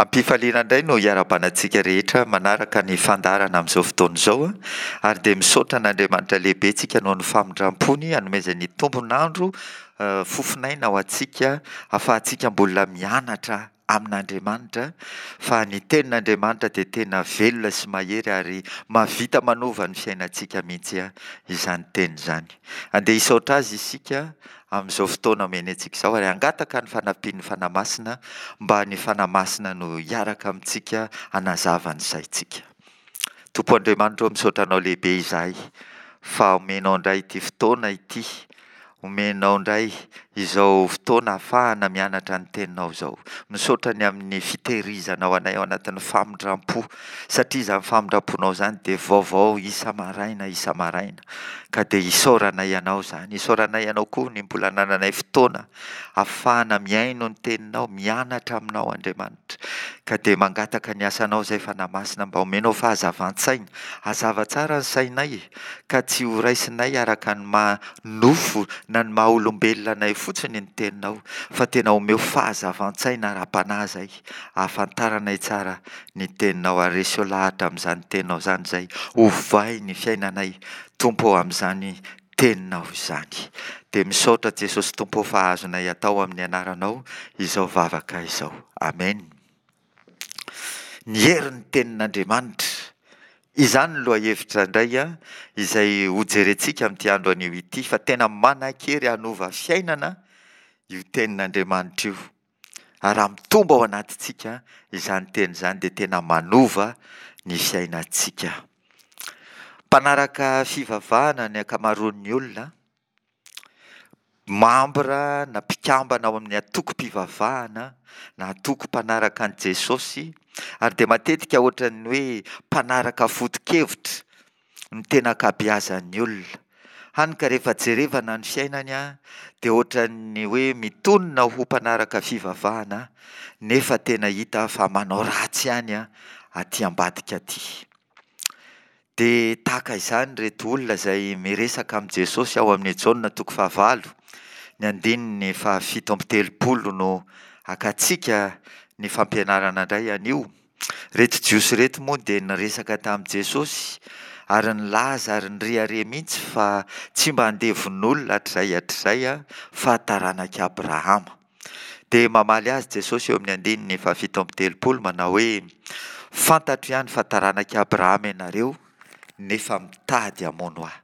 Am-pifaliana indray no hiarahabana antsika rehetra manaraka ny fandaharana amin'izao fotoana izao ary dia misaotra an'Andriamanitra lehibe tsika noho ny famindram-pony hanomezany tombon'andro fofon'aina ho antsika ahafahantsika mbola mianatra amin'Andriamanitra fa ny tenin'Andriamanitra dia tena velona sy mahery ary mahavita manova ny fiainantsika mihitsy izany teny izany. Andeha hisaotra azy isika amin'izao fotoana omeny antsika izao ary hangataka ny fanampian'ny Fanahy Masina mba ny Fanahy Masina no hiaraka amintsika hanazava ny saintsika. Tompo Andriamanitra ô, misaotra Anao lehibe izahay fa omenao indray ity fotoana ity, omenao indray izao fotoana ahafahana mianatra ny Teninao izao. Misaotra ny amin'ny fitehirizanao anay ao anatin'ny famindram-po, satria izany famindram-ponao izany dia vaovao isa-maraina isa-maraina. Ka dia isaoranay Anao izany. Isaoranay Anao koa ny mbola anananay fotoana ahafahana mihaino ny Teninao, mianatra Aminao Andriamanitra. Ka dia mangataka ny asanao izay Fanahy Masina mba omenao fahazavan-tsaina. Hazava tsara ny sainay ka tsy ho raisinay araka ny maha nofo na ny maha olombelona anay fotsiny ny Teninao fa tena omeo fahazavan-tsaina ara-panahy izay ahafantaranay tsara ny teninao ary reseo lahatra amin'izany teninao izany izay ovay ny fiainanay Tompo ô amin'izany teninao izany. Dia misaotra Jesosy Tompo ô fa azonay atao amin'ny anaranao izao vavaka izao. Amen. Ny herin'ny tenin'Andriamanitra. Izany ny lohahevitra indray izay hojerentsika amin'ity andro anio ity fa tena manan-kery hanova fiainana io tenin'Andriamanitra io. Ary raha mitombo ao anatintsika izany teny izany dia tena manova ny fiainantsika. Mpanaraka fivavahana ny ankamaroan'ny olona, mambra na mpikambana ao amin'ny antokom-pivavahana na antoko mpanaraka an'i Jesosy, ary dia matetika ohatran'ny hoe mpanaraka foto-kevitra ny tena ankabeazan'ny olona. Hany ka rehefa jerevana ny fiainany dia ohatran'ny hoe mitonona ho mpanaraka fivavahana nefa tena hita fa manao ratsy ihany aty ambadika aty. Dia tahaka izany ireto olona izay miresaka amin'i Jesosy ao amin'ny Jaona toko fahavalo, ny andininy fahafito amby telopolo no hakantsika ny fampianarana indray anio. Ireto Jiosy ireto moa dia niresaka tamin'i Jesosy ary nilaza ary nirehareha mihitsy fa tsy mba andevon'olona hatrizay hatrizay fa taranak'i Abrahama. Dia mamaly azy Jesosy eo amin'ny andininy fahafito amby telopolo manao hoe, Fantatro ihany fa taranak'i Abrahama ianareo nefa mitady hamono ahy,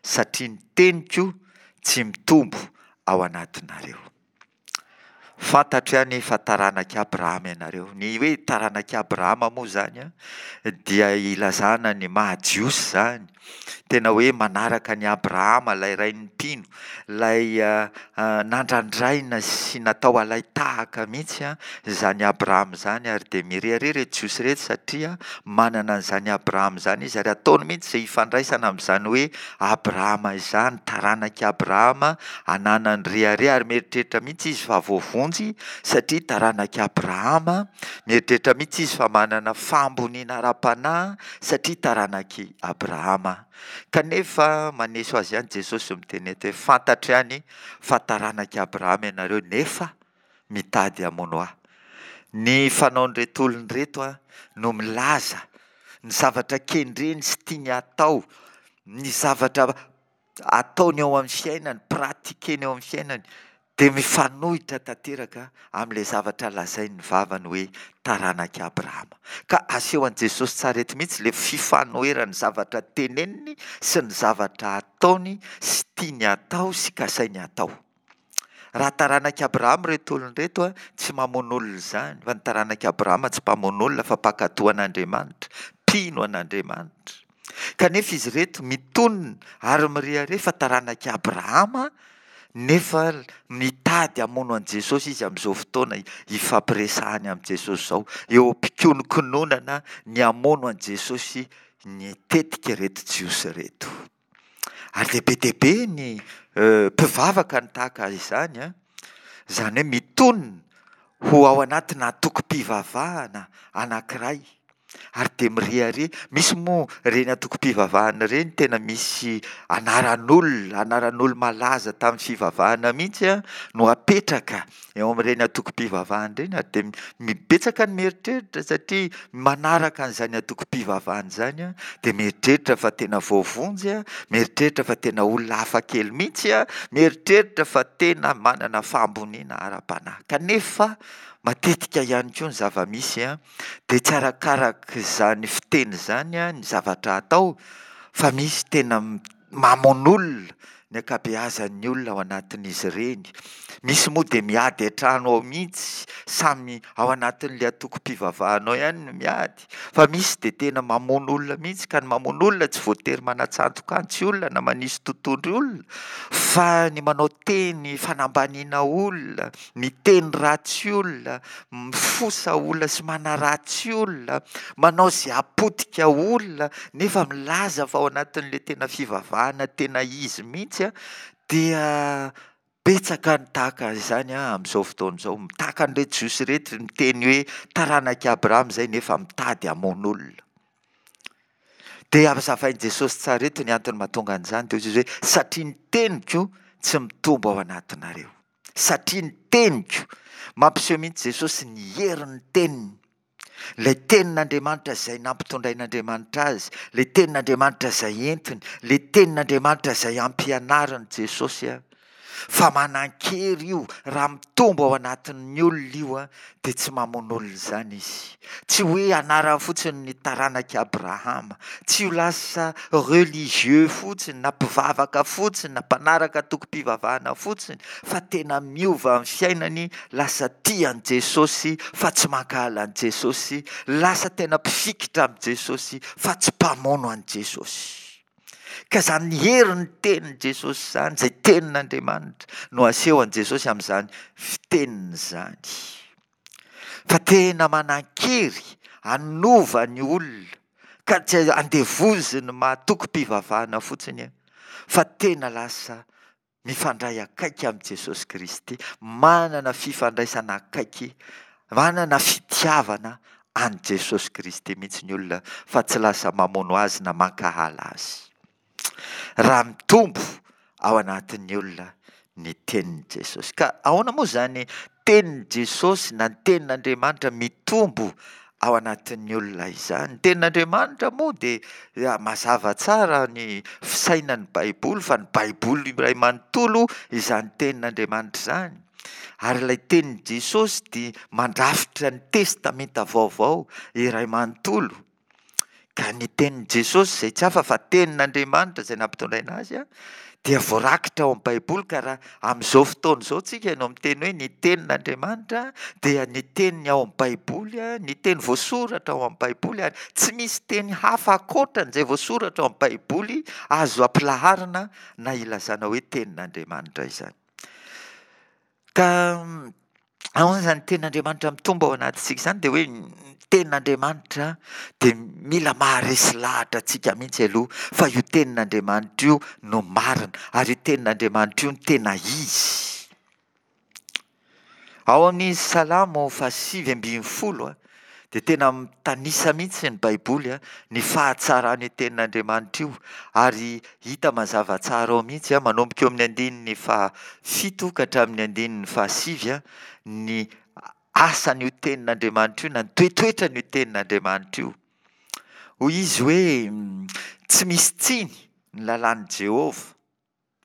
satria ny teniko tsy mitombo ao anatinareo. Fantatro ihany fa taranak'i Abrahama ianareo. Ny hoe taranak'i Abrahama moa izany dia ilazana ny maha Jiosy izany. Tena hoe manaraka an'i Abrahama, ilay rain'ny mpino, ilay nandrandraina sy natao halai-tahaka mihitsy izany Abrahama izany. Ary dia mirehareha ireto Jiosy ireto satria manana an'izany Abrahama izany izy ary ataony mihitsy izay hifandraisana amin'izany hoe Abrahama izany, taranak'i Abrahama, ananany rehareha ary mieritreritra mihitsy izy fa voavonjy satria taranak'i Abrahama, mieritreritra mihitsy izy fa manana fahamboniana ara-panahy satria taranak'i Abrahama. Kanefa maneso azy ihany Jesosy miteny eto hoe fantatro ihany fa taranak'i Abrahama ianareo nefa mitady hamono ahy. Ny fanaon'ireto olona ireto no milaza ny zavatra kendreny sy tiany hatao, ny zavatra ataony eo amin'ny fiainany, pratiqueny eo amin'ny fiainany dia mifanohitra tanteraka amin'ilay zavatra lazain'ny vavany hoe taranak'i Abrahama. Ka asehon'i Jesosy tsara eto mihitsy ilay fifanoheran'ny zavatra teneniny sy ny zavatra ataony sy tiany hatao sy kasainy hatao. Raha taranak'i Abrahama ireto olona ireto, tsy mamono olona izany, fa ny taranak'i Abrahama tsy mpamono olona fa mpankatò an'Andriamanitra, mpino an'Andriamanitra. Kanefa izy ireto mitonona ary mirehareha fa taranak'i Abrahama, nefa mitady hamono an'i Jesosy izy amin'izao fotoana ifampiresahany amin'i Jesosy izao. Eo am-pikononkononana ny hamono an'i Jesosy ny tetika ireto Jiosy ireto. Ary dia be dia be ny mpivavaka no tahaka izany an, izany hoe mitonona ho ao anatina antokom-pivavahana anankiray. Ary dia mirehareha. Misy moa ireny antokom-pivavahana ireny tena misy anaran'olona, anaran'olo-malaza tamin'ny fivavahana mihitsy no apetraka eo amin'ireny antokom-pivavahana ireny ary dia betsaka ny mieritreritra satria manaraka an'izany antokom-pivavahana izany dia mieritreritra fa tena voavonjy, mieritreritra fa tena olona hafa kely mihitsy, mieritreritra fa tena manana fahamboniana ara-panahy. Kanefa matetika ihany koa ny zava-misy Dia tsy arakarak' izany fiteny izany ny zavatra atao fa misy tena mamono olona ny ankabeazan'ny olona ao anatin'izy ireny. Misy moa dia miady an-trano ao mihitsy, samy ao anatin'ilay antokom-pivavahana ao ihany no miady, fa misy dia tena mamono olona mihitsy, ka ny mamono olona tsy voatery manatsantoka antsy olona na manisy totohondry olona, fa ny manao teny fanambaniana olona, miteny ratsy olona, mifosa olona sy manaratsy olona, manao izay hapotika olona nefa milaza fa ao anatin'ilay tena fivavahana tena izy mihitsy dia betsaka ny tahaka izany amin'izao fotoana izao. Tahaka an'ireto Jiosy ireto miteny hoe taranak'i Abrahama izay nefa mitady hamono olona. Dia hazavain'i Jesosy tsara eto ny antony mahatonga an'izany dia hoy Jesosy hoe satria ny teniko tsy mitombo ao anatinareo. Satria ny teniko. Mampiseho mihitsy Jesosy ny herin'ny teniny. Ilay tenin'Andriamanitra izay nampitondrain'Andriamanitra azy, ilay tenin'Andriamanitra izay entiny, ilay tenin'Andriamanitra izay ampianarin'i Jesosy a. Fa manan-kery io, raha mitombo ao anatin'ny olona io a, dia tsy mamono olona izany izy. Tsy hoe anarany fotsiny ny taranak'i Abrahama, tsy ho lasa religieux fotsiny na mpivavaka fotsiny na mpanaraka antokom-pivavahana fotsiny fa tena miova ny fiainany, lasa tia an'i Jesosy fa tsy mankahala an'i Jesosy, lasa tena mpifikitra amin'i Jesosy fa tsy mpamono an'i Jesosy. Ka izany herin'ny tenin'i Jesosy izany, izay tenin'Andriamanitra, no asehon'i Jesosy amin'izany fiteniny izany. Fa tena manan-kery hanova ny olona, ka tsy andevozin'ny mahatokim-pivavahana fotsiny, fa tena lasa mifandray akaiky amin'i Jesosy Kristy, manana fifandraisana akaiky, manana fitiavana an'i Jesosy Kristy mihitsy ny olona fa tsy lasa mamono azy na mankahala azy. Raha mitombo ao anatin'ny olona ny tenin'i Jesosy. Ka ahoana moa izany tenin'i Jesosy na ny tenin'Andriamanitra mitombo ao anatin'ny olona izany. Ny tenin'Andriamanitra moa dia mazava tsara ny fisainan'ny Baiboly fa ny Baiboly iray manontolo izany tenin'Andriamanitra izany. Ary ilay tenin'i Jesosy dia mandrafitra ny Testamenta Vaovao iray manontolo. Ka ny tenin'i Jesosy izay tsy hafa fa tenin'Andriamanitra izay nampitondraina azy dia voarakitra ao amin'ny Baiboly ka raha amin'izao fotoana izao tsika no miteny hoe ny tenin'Andriamanitra dia ny teniny ao amin'ny Baiboly, ny teny voasoratra ao amin'ny Baiboly ary tsy misy teny hafa ankoatran'izay voasoratra ao amin'ny Baiboly azo ampilaharina na ilazana hoe tenin'Andriamanitra izany. Ka ahoana izany tenin'Andriamanitra mitombo ao anatintsika izany? Dia hoe ny tenin'Andriamanitra dia mila maharesy lahatra antsika mihitsy aloha fa io tenin'Andriamanitra io no marina ary io tenin'Andriamanitra io no tena izy. Ao amin'ny Salamo fahasivy ambinifolo dia tena mitanisa mihitsy ny Baiboly ny fahatsaran'io tenin'Andriamanitra io ary hita mazava tsara ao mihitsy manomboka eo amin'ny andininy fahafito ka hatramin'ny andininy fahasivy ny asan'io tenin'Andriamanitra io na ny toetoetran'io tenin'Andriamanitra io. Hoy izy hoe tsy misy tsiny ny lalàn'i Jehovah.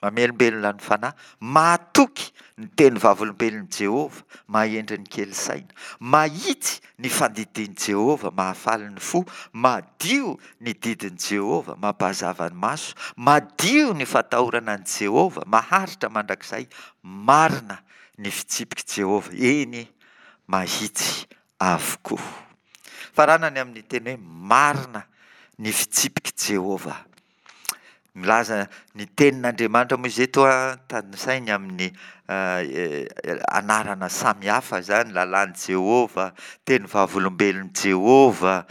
Mamelombelona ny fanahy. Mahatoky ny teny vavolombelon'i Jehovah, mahahendry ny kely saina. Mahitsy ny fandidian'i Jehovah, mahafaly ny fo. Madio ny didin'i Jehovah, mampahazava ny maso. Madio ny fatahorana an'i Jehovah, maharitra mandrakizay. Marina ny fitsipik'i Jehovah, eny, mahitsy avokoa. Faranany amin'ny teny hoe marina ny fitsipik'i Jehovah. Milaza ny tenin'Andriamanitra moa izy eto an, tanisainy amin'ny anarana samihafa izany, lalàn'i Jehovah, teny vavolombelon'i Jehovah,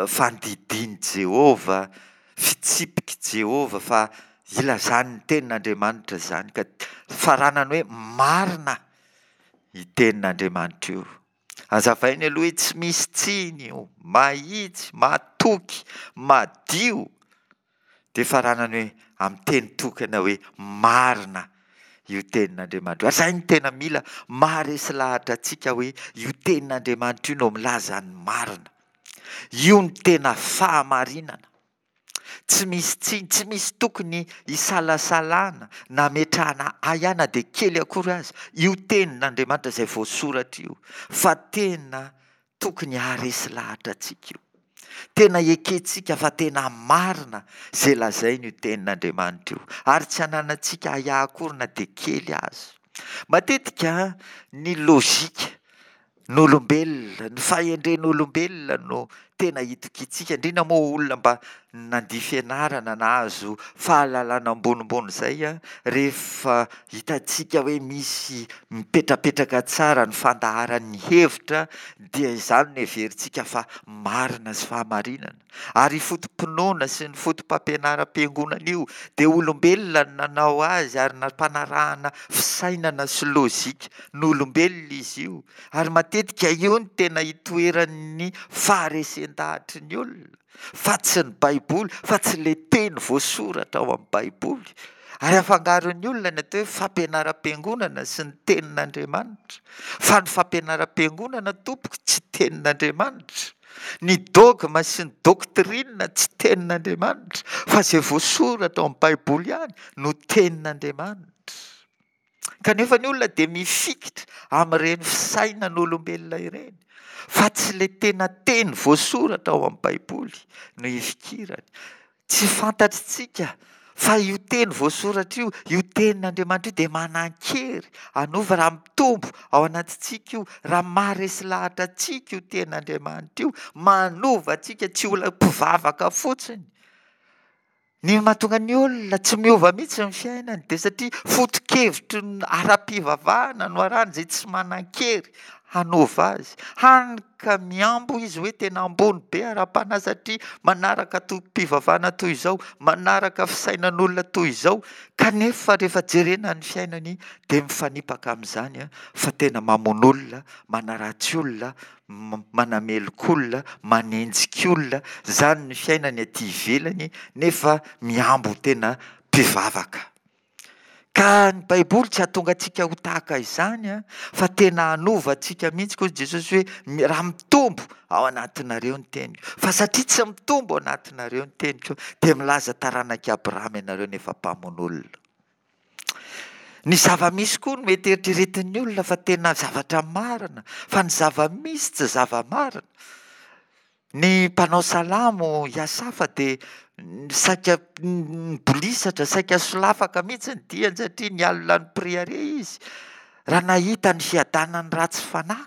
fandidian'i Jehovah, fitsipik'i Jehovah, fa ilazany ny tenin'Andriamanitra izany ka faranany hoe marina io tenin'Andriamanitra io. Hazavainy aloha hoe tsy misy tsiny io, mahitsy, mahatoky, madio. Dia faranany hoe amin'ny teny tokana hoe marina io tenin'Andriamanitra io. Ary izay no tena mila maharesy lahatra antsika hoe io tenin'Andriamanitra io no milaza ny marina. Io no tena fahamarinana. Tsy misy tsiny, tsy misy tokony hisalasalana na hametrahana ahiahy na dia kely akory aza io tenin'Andriamanitra izay voasoratra io fa tena Tokony haharesy lahatra antsika io. Tena ekentsika fa tena marina izay lazain'io Tenin'Andriamanitra io, ary tsy ananantsika ahiahy akory na dia kely aza. Matetika ny lojika n'olombelona, ny fahendren'olombelona no tena itokiantsika, indrindra moa olona mba nandia fianarana, nahazo fahalalana ambonimbony izay, rehefa hitantsika hoe misy mipetrapetraka tsara ny fandaharan'ny hevitra dia izany no heverintsika fa marina sy fahamarinana. Ary io foto-pinoana sy ny foto-pampianaram-piangonana io dia olombelona no nanao azy ary nampanarahana fisainana sy lojika n'olombelona izy io. Ary matetika io no tena itoeran'ny faharesen-dahatry ny olona. fa tsy ny Baiboly, fa tsy ilay teny voasoratra ao amin'ny Baiboly. Ary afangaron'ny olona ny atao hoe fampianaram-piangonana sy ny tenin'Andriamanitra. Fa ny fampianaram-piangonana tompoko tsy tenin'Andriamanitra. Ny dogme sy ny doctrine tsy tenin'Andriamanitra, fa izay voasoratra ao amin'ny Baiboly ihany no tenin'Andriamanitra. Kanefa ny olona dia mifikitra amin'ireny fisainan'olombelona ireny, fa tsy ilay tena teny voasoratra ao amin'ny Baiboly no ifikirany. Tsy fantatritsika fa io teny voasoratra io, io tenin'Andriamanitra io dia manan-kery hanova raha mitombo ao anatintsika io, raha maharesy lahatra antsika io tenin'Andriamanitra io, manova antsika tsy ho mpivavaka fotsiny. Ny mahatonga ny olona tsy miova mihitsy ny fiainany dia satria foto-kevitry ny ara-pivavahana no arahany izay tsy manan-kery hanova azy. Hany ka mihambo izy hoe tena ambony be ara-panahy satria manaraka antokom-pivavahana toy izao, manaraka fisainan'olona toy izao, kanefa rehefa jerena ny fiainany dia mifanipaka amin'izany fa tena mamono olona, manaratsy olona, manameloka olona, manenjika olona, izany ny fiainany aty ivelany nefa mihambo ho tena mpivavaka. Ka ny Baiboly tsy hahatonga antsika ho tahaka izany fa tena hanova antsika mihitsy koa Jesosy hoe raha mitombo ao anatinareo ny teniko. Fa satria tsy mitombo ao anatinareo ny teniko dia milaza taranak'i Abrahama ianareo nefa mpamono olona. Ny zava-misy koa no mety eritreretin'ny olona fa tena zavatra marina, fa ny zava-misy tsy zava-marina. Ny mpanao salamo i Asafa dia saika nibolisatra, saika solafaka mihitsy ny diany satria nialona ny mpirehareha izy raha nahita ny fiadanan'ny ratsy fanahy.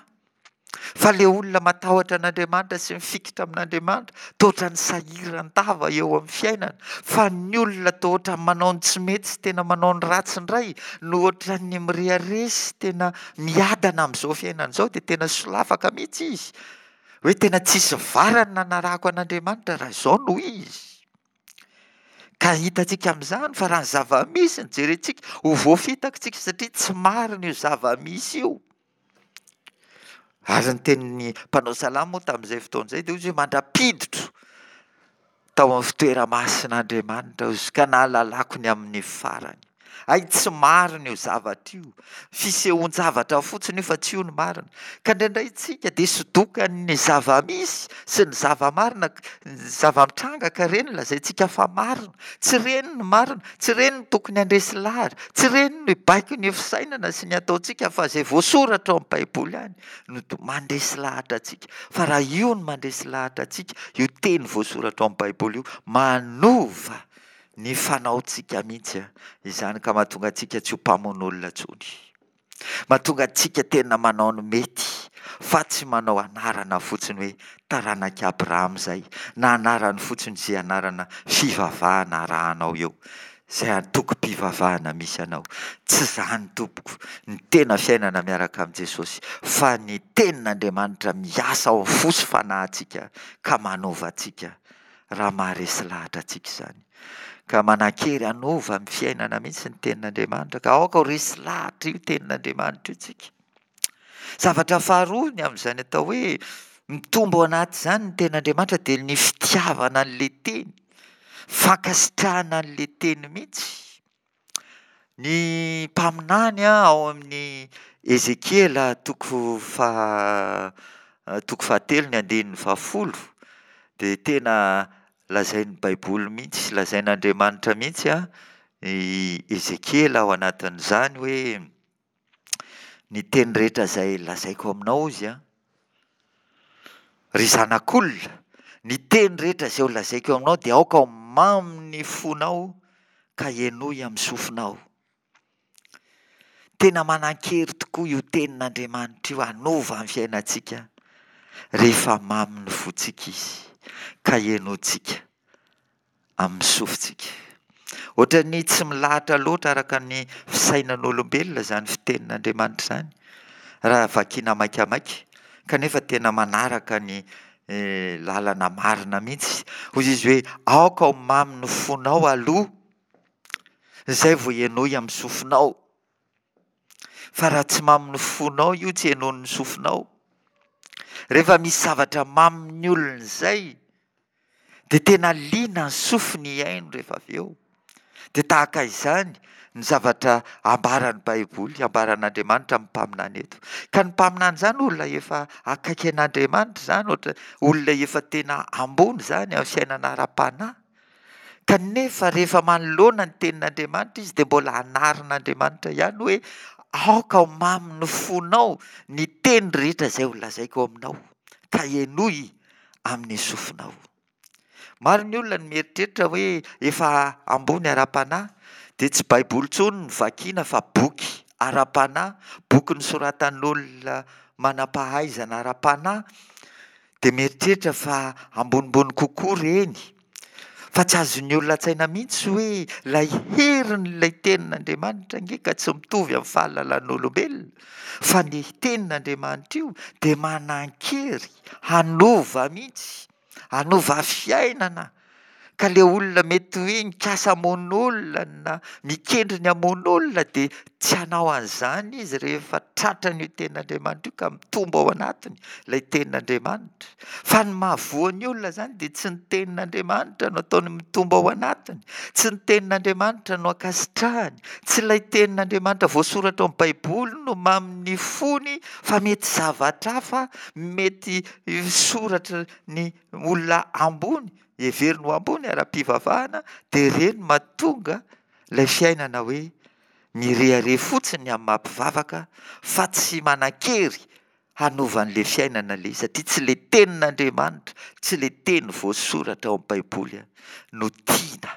Fa le olona matahotra an'Andriamanitra sy mifikitra amin'Andriamanitra toa ohatran'ny sahiran-dava eo amin'ny fiainana, fa ny olona toa ohatran'ny manao ny tsy mety sy tena manao ny ratsy indray no ohatran'ny mirehareha sy tena miadana amin'izao fiainana izao dia tena solafaka mihitsy izy hoe tena tsisy varany nanarahako an'Andriamanitra raha izao no izy. Ka hitantsika amin'izany fa raha ny zava-misy no jerentsika, ho voafitaka isika satria tsy marina io zava-misy io. Ary ny tenin'ny mpanao salamo moa tamin'izay fotoana izay dia hoy izy hoe mandra-piditro tao amin'ny fitoera-masin'Andriamanitra aho izy ka nahalalako ny amin'ny farany. Hay tsy marina io zavatra io. Fisehoan-javatra fotsiny io fa tsy io no marina. Ka indraindray isika dia sodokan'ny zava-misy sy ny zava-marina, ny zava-mitranga ka ireny lazaintsika fa marina. Tsy ireny no marina, tsy ireny no tokony handresy lahatra, tsy ireny no hibaiko ny fisainana sy ny ataontsika fa izay voasoratra ao amin'ny Baiboly ihany no mandresy lahatra antsika. Fa raha io no mandresy lahatra antsika, io teny voasoratra ao amin'ny Baiboly io, manova ny fanaontsika mihitsy izany ka mahatonga antsika tsy ho mpamono olona intsony. Mahatonga antsika tena manao ny mety fa tsy manao anarana fotsiny hoe taranak'i Abrahama izay na anarany fotsiny izay anarana fivavahana arahanao eo, izay antokom-pivavahana misy anao. Tsy izany tompoko ny tena fiainana miaraka amin'i Jesosy fa ny tenin'Andriamanitra miasa ao amin'ny fo sy fanahintsika ka manova antsika raha maharesy lahatra antsika izany. Ka manan-kery hanova ny fiainana mihitsy ny tenin'Andriamanitra, ka aoka ho resy lahatra io tenin'Andriamanitra io tsika. Zavatra faharoa ny amin'izany atao hoe mitombo ao anaty izany ny tenin'Andriamanitra dia ny fitiavana an'ilay teny, fankasitrahana an'ilay teny mihitsy. Ny mpaminany ao amin'ny Ezekiela toko faha toko fahatelo ny andininy fahafolo dia tena lazain'ny Baiboly mihitsy, lazain'Andriamanitra mihitsy i Ezekiela ao anatin'izany hoe ny teny rehetra izay lazaiko aminao hozy an, Ry zanak'olona, ny teny rehetra izay holazaiko aminao dia aoka ho mamin'ny fonao ka henoy amin'ny sofinao. Tena manan-kery tokoa io tenin'Andriamanitra io hanova ny fiainantsika rehefa mamin'ny fontsika izy ka henointsika. amin'ny sofintsika. Ohatran'ny tsy milahatra loatra araka ny fisainan'olombelona izany fitenin'Andriamanitra izany, raha vakiana maikamaika, kanefa tena manaraka ny lalana marina mihitsy. Hoy izy hoe, aoka ho mamy ny fonao aloha, izay vao henoy amin'ny sofinao. Fa raha tsy mamin'ny fonao io, tsy henoin'ny sofinao. Rehefa misy zavatra mamin'ny olona izay, Dia tena liana ny sofiny hihaino rehefa avy eo. Dia tahaka izany ny zavatra ambaran'ny Baiboly, ambaran'Andriamanitra amin'ny mpaminany eto. Ka ny mpaminany izany olona efa akaiky an'Andriamanitra izany, ohatra olona efa tena ambony izany amin'ny fiainana ara-panahy. Kanefa rehefa manoloana ny tenin'Andriamanitra izy dia mbola anarin'Andriamanitra ihany hoe aoka ho mamin'ny fonao ny teny rehetra izay holazaiko aminao, ka henoy amin'ny sofinao. Maro ny olona no mieritreritra hoe efa ambony ara-panahy dia tsy Baiboly intsony no vakiana fa boky ara-panahy, boky nosoratan'olona manam-pahaizana ara-panahy dia mieritreritra fa ambonimbony kokoa ireny. Fa tsy azon'ny olona an-tsaina mihitsy hoe ilay herin'ilay tenin'Andriamanitra ange ka tsy mitovy amin'ny fahalalan'olombelona fa ny tenin'Andriamanitra io dia manan-kery hanova mihitsy, hanova fiainana, ka le olona mety hoe nikasa hamono olona na mikendry ny hamono olona dia tsy hanao an'izany izy rehefa tratran'io tenin'Andriamanitra io ka mitombo ao anatiny ilay tenin'Andriamanitra. Fa ny mahavoa ny olona izany dia tsy ny tenin'Andriamanitra no ataony mitombo ao anatiny, tsy ny tenin'Andriamanitra no ankasitrahany, tsy ilay tenin'Andriamanitra voasoratra ao amin'ny Baiboly no mamin'ny fony fa mety zavatra hafa, mety soratry ny olona ambony, heveriny ho ambony ara-pivavahana, dia ireny mahatonga ilay fiainana hoe mirehareha fotsiny amin'ny maha mpivavaka fa tsy manan-kery hanova an'ilay fiainana ilay izy satria tsy ilay tenin'Andriamanitra, tsy ilay teny voasoratra ao amin'ny Baiboly no tiana.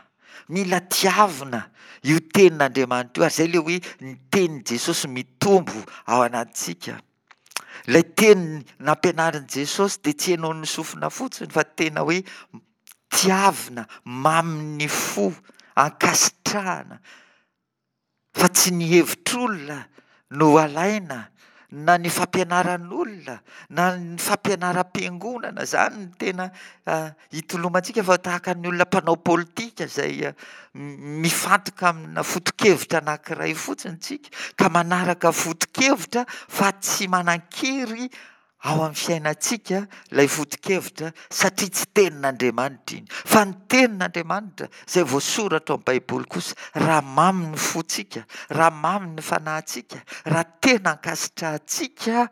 Mila tiavina io tenin'Andriamanitra io ary izay ilay hoe ny tenin'i Jesosy mitombo ao anatintsika. Ilay teny nampianarin'i Jesosy dia tsy henoin'ny sofina fotsiny fa tena hoe tiavina, mamin'ny fo, ankasitrahana. Fa tsy ny hevitr'olona no alaina na ny fampianaran'olona na ny fampianaram-piangonana, izany no tena itolomantsika fa tahaka ny olona mpanao politika izay mifantoka amina foto-kevitra anankiray fotsiny tsika ka manaraka foto-kevitra fa tsy manan-kery ao amin'ny fiainantsika ilay foto-kevitra satria tsy tenin'Andriamanitra iny. Fa ny tenin'Andriamanitra izay voasoratra ao amin'ny Baiboly kosa, raha mamy ny fontsika, raha mamy ny fanahintsika, raha tena ankasitrahantsika,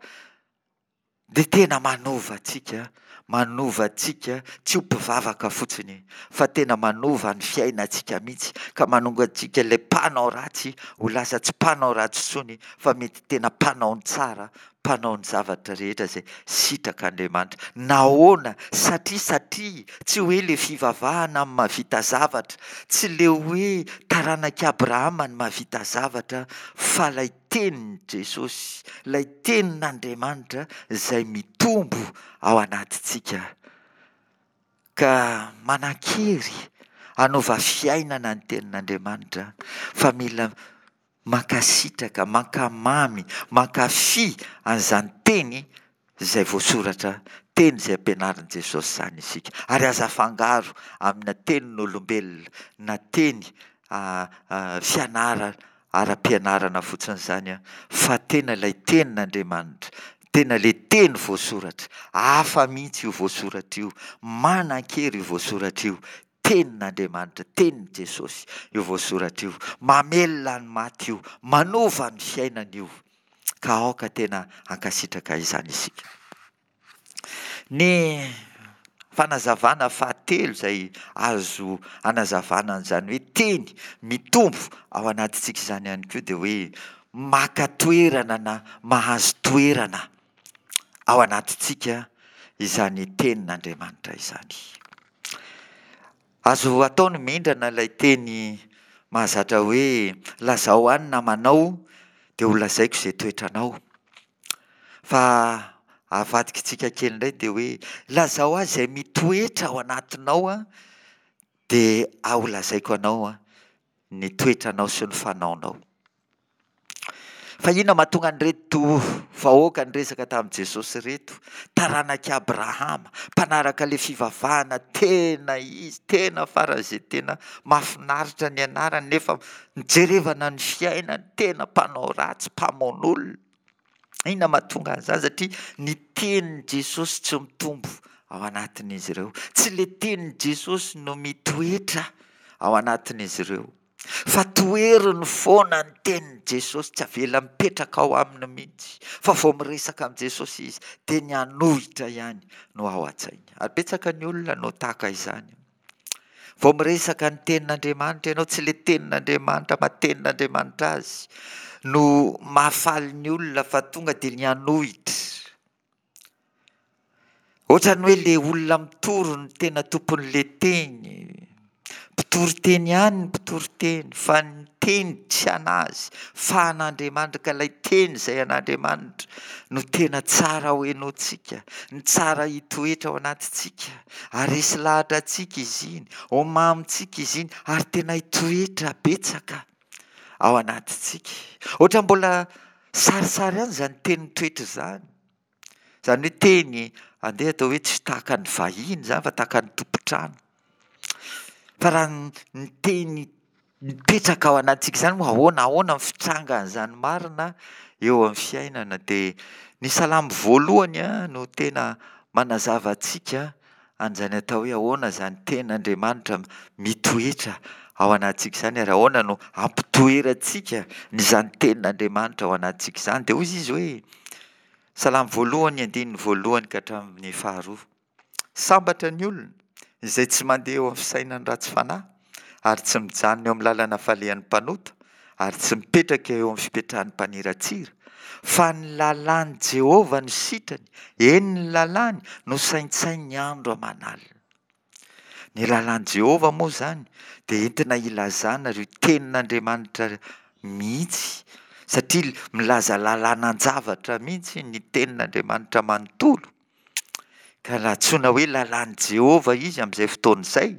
dia tena manova antsika, manova antsika tsy ho mpivavaka fotsiny fa tena manova ny fiainantsika mihitsy ka manonga antsika ilay mpanao ratsy ho lasa tsy mpanao ratsy intsony fa mety tena mpanao ny tsara, mpanao ny zavatra rehetra izay sitrak'Andriamanitra. Nahoana? Satria satria tsy hoe ilay fivavahana no mahavita zavatra, tsy ilay hoe taranak'i Abrahama no mahavita zavatra fa ilay tenin'i Jesosy, ilay tenin'Andriamanitra izay mitombo ao anatintsika ka manan-kery hanova fiainana ny tenin'Andriamanitra fa mila mankasitraka, mankamamy, mankafy an'izany teny izay voasoratra, teny izay ampianarin'i Jesosy izany isika. Ary aza afangaro amina tenin'olombelona na teny fianarana. ara-pianarana fotsiny izany fa tena ilay tenin'Andriamanitra, tena ilay teny voasoratra. Hafa mihitsy io voasoratra io, manan-kery io voasoratra io, tenin'Andriamanitra, tenin'i Jesosy io voasoratra io. Mamelona ny maty io, manova ny fiainana io. Ka aoka tena hankasitraka izany isika. Ny fanazavana fahatelo izay azo anazavana an'izany hoe teny mitombo ao anatintsika izany ihany koa dia hoe maka toerana na mahazo toerana ao anatintsika izany tenin'Andriamanitra izany. Azo atao ny mindrana ilay teny mahazatra hoe lazao ahy ny namanao dia ho lazaiko izay toetranao. Fa avadikitsika kely indray dia hoe lazao ahy izay mitoetra ao anatinao dia ho lazaiko anao ny toetranao sy ny fanaonao. Fa inona mahatonga an'ireto vahoaka niresaka tamin'i Jesosy ireto, taranak'i Abrahama, mpanaraka ilay fivavahana tena izy, tena faran'izay tena mahafinaritra ny anarany, nefa nijerevana ny fiainany, tena mpanao ratsy, mpamono olona. Inona mahatonga an'izany? Satria ny tenin'i Jesosy tsy mitombo ao anatin'izy ireo. Tsy ilay tenin'i Jesosy no mitoetra ao anatin'izy ireo. Fa toheriny foana ny tenin'i Jesosy, tsy avela mipetraka ao aminy mihitsy. Fa vao miresaka amin'i Jesosy izy, dia ny hanohitra ihany no ao an-tsainy. Ary betsaka ny olona no tahaka izany. Vao miresaka ny tenin'Andriamanitra ianao, tsy ilay tenin'Andriamanitra maha tenin'Andriamanitra azy no mahafaly ny olona fa tonga dia ny hanohitra. Ohatran'ny hoe le olona mitory no tena tompon'le teny. Mpitory teny ihany ny mpitory teny fa ny teny tsy an'azy fa an'Andriamanitra ka ilay teny izay an'Andriamanitra no tena tsara ho henointsika, ny tsara hitoetra ao anatintsika, haharesy lahatra antsika izy iny, ho mamintsika izy iny ary tena hitoetra betsaka ao anatintsika. Ohatran'ny mbola sarisary ihany izany teny mitoetra izany. Izany hoe teny andeha atao hoe tsy tahaka ny vahiny izany fa tahaka ny tompon-trano. Fa raha ny teny mipetraka ao anatintsika izany moa ahoana ahoana ny fitrangan'izany marina eo amin'ny fiainana dia ny salamo voalohany no tena manazava antsika an'izany atao hoe ahoana izany tenin'Andriamanitra mitoetra ao anatintsika izany ary ahoana no ampitoerantsika an'izany tenin'Andriamanitra ao anatintsika izany. Dia hoy izy hoe Salamo voalohany andininy voalohany ka hatramin'ny faharoa. Sambatra ny olona izay tsy mandeha eo amin'ny fisainan'ny ratsy fanahy, ary tsy mijanona eo amin'ny lalana falehan'ny mpanota, ary tsy mipetraka eo amin'ny fipetrahan'ny mpaniratsira, fa ny lalàn'i Jehovah no sitrany, eny, ny lalàny no saintsaininy andro aman'alina. Ny lalàn'i Jehovah moa izany dia entina hilazana ireo tenin'Andriamanitra mihitsy, satria milaza lalànan-javatra mihitsy ny tenin'Andriamanitra manontolo. Ka raha antsoina hoe lalàn'i Jehovah izy amin'izay fotoana izay,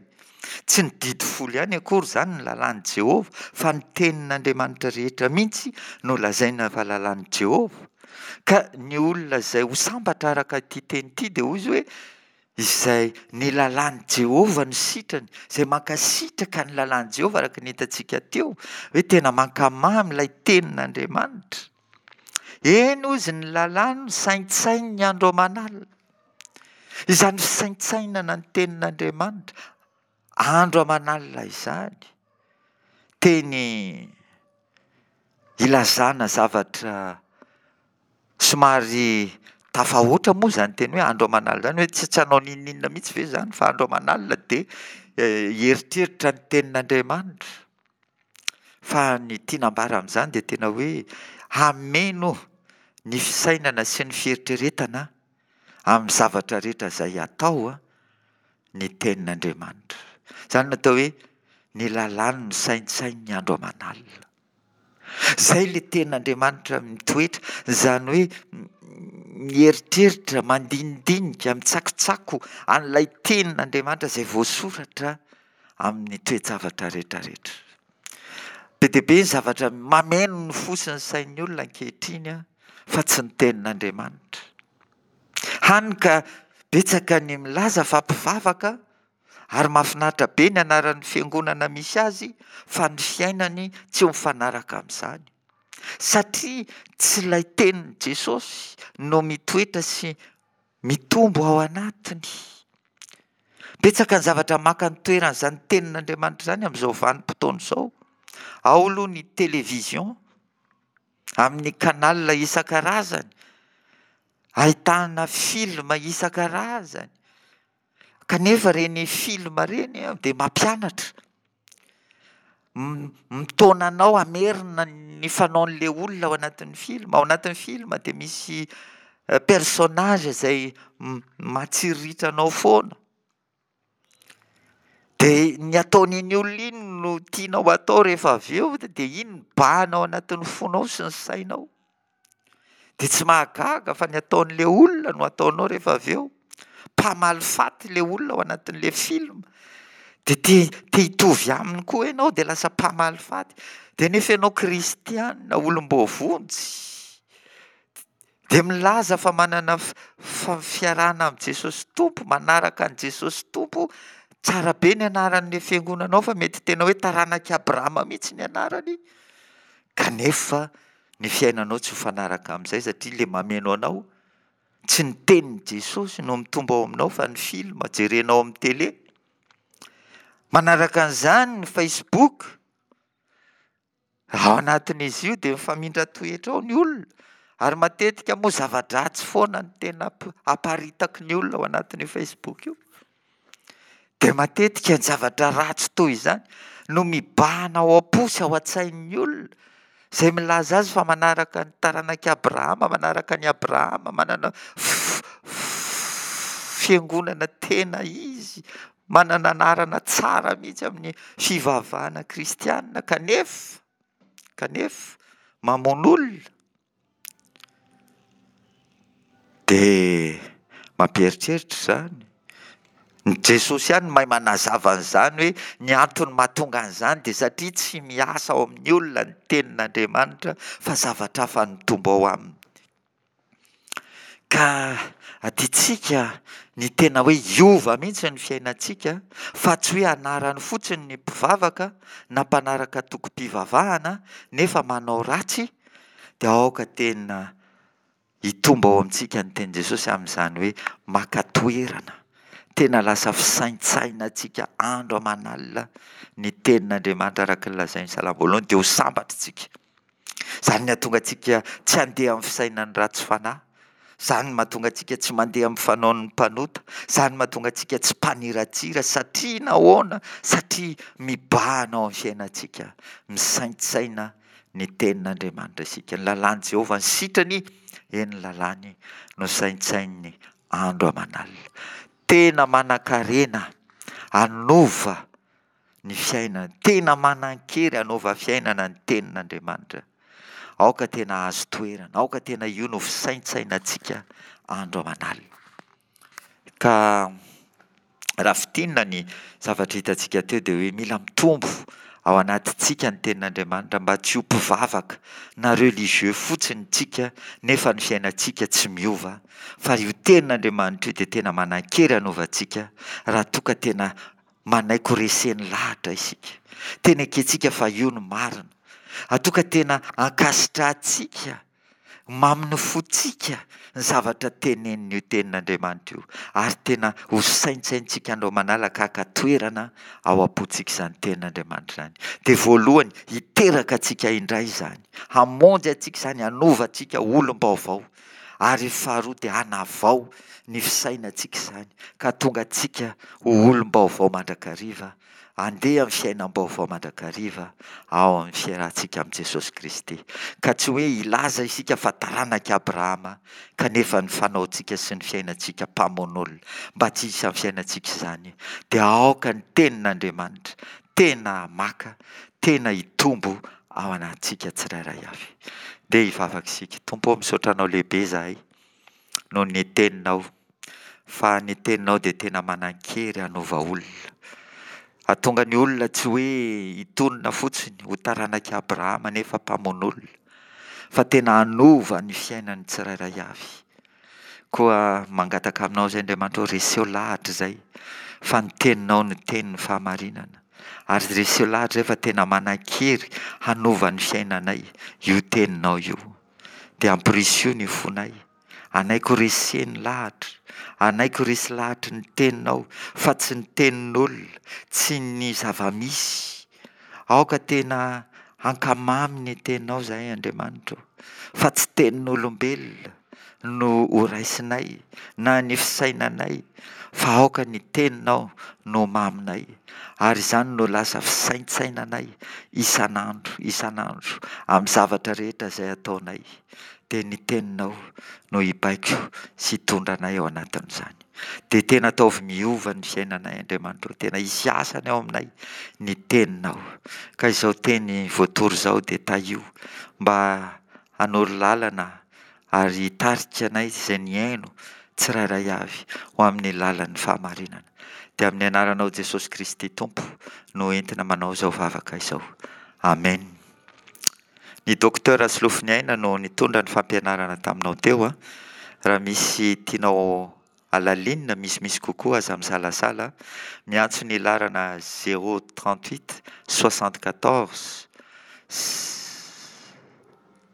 tsy ny didy folo ihany akory izany ny lalàn'i Jehovah, fa ny tenin'Andriamanitra rehetra mihitsy no lazaina fa lalàn'i Jehovah. Ka ny olona izay ho sambatra araka ity teny ity dia hoy izy hoe Izay ny lalàn'i Jehovah no sitrany, izay mankasitraka ny lalàn'i Jehovah araka ny hitantsika teo, hoe tena mankamamy ilay tenin'Andriamanitra. Eny hozy ny lalàny no saintsaininy andro aman'alina. Izany fisaintsainana ny tenin'Andriamanitra andro aman'alina izany, teny ilazana zavatra Somary tafahoatra moa izany teny hoe andro aman'alina izany hoe tsy tsy hanao n'inon'inona mihitsy ve izany fa andro aman'alina dia hieritreritra ny tenin'Andriamanitra. Fa ny tiana ambara amin'izany dia tena hoe hameno ny fisainana sy ny fieritreretana amin'ny zavatra rehetra izay atao ny tenin'Andriamanitra. Izany no atao hoe ny lalàny no saintsaininy andro aman'alina. Izay ilay tenin'Andriamanitra mitoetra, izany hoe mieritreritra, mandinidinika, mitsakotsako an'ilay tenin'Andriamanitra izay voasoratra amin'ny toe-javatra rehetrarehetra. Be dia be ny zavatra mameno ny fo sy ny sain'ny olona ankehitriny fa tsy ny tenin'Andriamanitra. Hany ka betsaka ny milaza fa mpivavaka. Ary mahafinaritra be ny anaran'ny fiangonana misy azy fa ny fiainany tsy mifanaraka amin'izany. Satria tsy ilay tenin'i Jesosy no mitoetra sy mitombo ao anatiny. Betsaka ny zavatra maka ny toeran'izany tenin'Andriamanitra izany amin'izao vanim-potoana izao. Ao aloha ny télévision, amin'ny canal isan-karazany, ahitana film isan-karazany. Kanefa ireny film ireny dia mampianatra, mitaona anao hamerina ny fanaon'ilay olona ao anatin'ny film. Ao anatin'ny film dia misy personnage izay mahatsiriritra anao foana. Dia ny ataon'iny olona iny no tianao atao rehefa avy eo, dia iny mibahana ao anatin'ny fonao sy ny sainao. Dia tsy mahagaga fa ny ataon'ilay olona no ataonao rehefa avy eo. Mpamaly faty ilay olona ao anatin'ilay film. Dia te te hitovy aminy koa ianao dia lasa mpamaly faty. Dia nefa ianao kristiana, olom-boavonjy. Dia milaza fa manana fiarahana amin'i Jesosy Tompo, manaraka an'i Jesosy Tompo. Tsara be ny anaran'ilay fiangonanao fa mety tena hoe taranak'i Abrahama mihitsy ny anarany. Kanefa ny fiainanao tsy mifanaraka amin'izay satria ilay mameno anao tsy ny tenin'i Jesosy no mitombo ao aminao fa ny film jerenao amin'ny télé. Manaraka an'izany ny Facebook, ao anatin'izy io dia mifamindra toetra ao ny olona ary matetika moa zava-dratsy foana no tena aparitaky ny olona ao anatin'io Facebook io. Dia matetika ny zavatra ratsy toy izany no mibahana ao am-po sy ao an-tsain'ny olona izay milaza azy fa manaraka ny taranak'i Abrahama, manaraka an'i Abrahama, manana fiangonana tena izy, manana anarana tsara mihitsy amin'ny fivavahana kristiana kanefa, kanefa mamono olona. Dia mampieritreritra izany. Ny Jesosy ihany no mahay manazava an'izany hoe ny antony mahatonga an'izany dia satria tsy miasa ao amin'ny olona ny tenin'Andriamanitra fa zavatra hafa no mitombo ao aminy. Ka adintsika ny tena hoe hiova mihitsy ny fiainantsika fa tsy hoe anarany fotsiny ny mpivavaka na mpanaraka antokom-pivavahana nefa manao ratsy dia aoka tena hitombo ao amintsika ny tenin'i Jesosy amin'izany hoe maka toerana, tena lasa fisaintsainantsika andro aman'alina ny tenin'Andriamanitra araka ny lazain'ny Salamo voalohany dia ho sambatra isika. Izany no hahatonga antsika tsy handeha amin'ny fisainan'ny ratsy fanahy, izany no mahatonga antsika tsy mandeha amin'ny fanaon'ny mpanota, izany no mahatonga antsika tsy mpaniratsira satria nahoana? Satria mibahana ao amin'ny fiainantsika, misaintsaina ny tenin'Andriamanitra isika. Ny lalàn'i Jehovah ny sitrany, eny ny lalàny no saintsaininy andro aman'alina. Tena manan-karena hanova ny fiainana, tena manan-kery hanova fiainana ny tenin'Andriamanitra. Aoka tena hahazo toerana, aoka tena io no fisaintsainantsika andro aman'alina. Ka raha fintinina ny zavatra hitantsika teo dia hoe mila mitombo ao anatintsika ny tenin'Andriamanitra mba tsy ho mpivavaka na religieux fotsiny tsika nefa ny fiainantsika tsy miova fa io tenin'Andriamanitra io dia tena manan-kery hanova antsika raha toa ka tena manaiky ho reseny lahatra isika. Tena ekentsika fa io no marina. Raha toa ka tena ankasitrahantsika Mamin'ny fontsika ny zavatra tenenin'io Tenin'Andriamanitra io, ary tena ho saintsaintsika andro aman'ala ka haka toerana ao am-pontsika izany Tenin'Andriamanitra izany. Dia voalohany, hiteraka antsika indray izany, hamonjy antsika izany, hanova antsika ho olom-baovao, ary faharoa dia hanavao ny fisainantsika izany, ka hahatonga antsika ho olom-baovao mandrakariva Andeha amin'ny fiainam-baovao mandrakariva ao amin'ny fiarahantsika amin'i Jesosy Kristy. Ka tsy hoe hilaza isika fa taranak'i Abrahama, kanefa ny fanaontsika sy ny fiainantsika mpamono olona. Mba tsy hisy amin'ny fiainantsika izany, dia aoka ny Tenin'Andriamanitra tena hamaka, tena hitombo ao anatintsika tsirairay avy. Ndeha hivavaka isika. Tompo ô, misaotra Anao lehibe izahay noho ny Teninao. Fa ny teninao dia tena manan-kery hanova olona. Hahatonga ny olona tsy hoe hitonona fotsiny ho taranak'i Abrahama nefa mpamono olona, fa tena hanova ny fiainan'ny tsirairay avy. Koa mangataka aminao izay Andriamanitra ô, reseho lahatra izay fa ny teninao no tenin'ny fahamarinana. Ary reseho lahatra izay fa tena manan-kery hanova ny fiainanay io teninao io. Dia ampirisio ny fonay. Anaiky ho reseny lahatra, anaiky ho resy lahatry ny teninao fa tsy ny tenin'olona, tsy ny zava-misy. Aoka tena hankamamy ny teninao izahay Andriamanitra ô, fa tsy tenin'olombelona no ho raisinay na ny fisainanay fa aoka ny teninao no ho maminay ary izany no lasa fisaintsainanay isan'andro isan'andro amin'ny zavatra rehetra izay ataonay. dia ny Teninao no hibaiko sy hitondra anay ao anatin'izany. Dia tena ataovy miova ny fiainanay Andriamanitra ô, tena hisy asany ao aminay ny Teninao. Ka izao teny voatory izao dia tahio mba hanoro lalana ary hitarika anay izay nihaino tsirairay avy ho amin'ny lalan'ny fahamarinana. Dia amin'ny anaranao Jesosy Kristy Tompo no entina manao izao vavaka izao. Amen. Ny Docteur Solofoniaina no nitondra ny fampianarana taminao teo a. Raha misy tianao halalinina misimisy kokoa aza misalasala miantso ny laharana zéro 38 74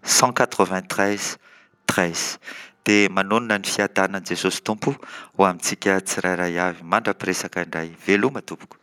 193 13. Dia manonona ny fiadanan'i Jesosy Tompo ho amintsika tsirairay avy. Mandra-piresaka indray. Veloma tompoko.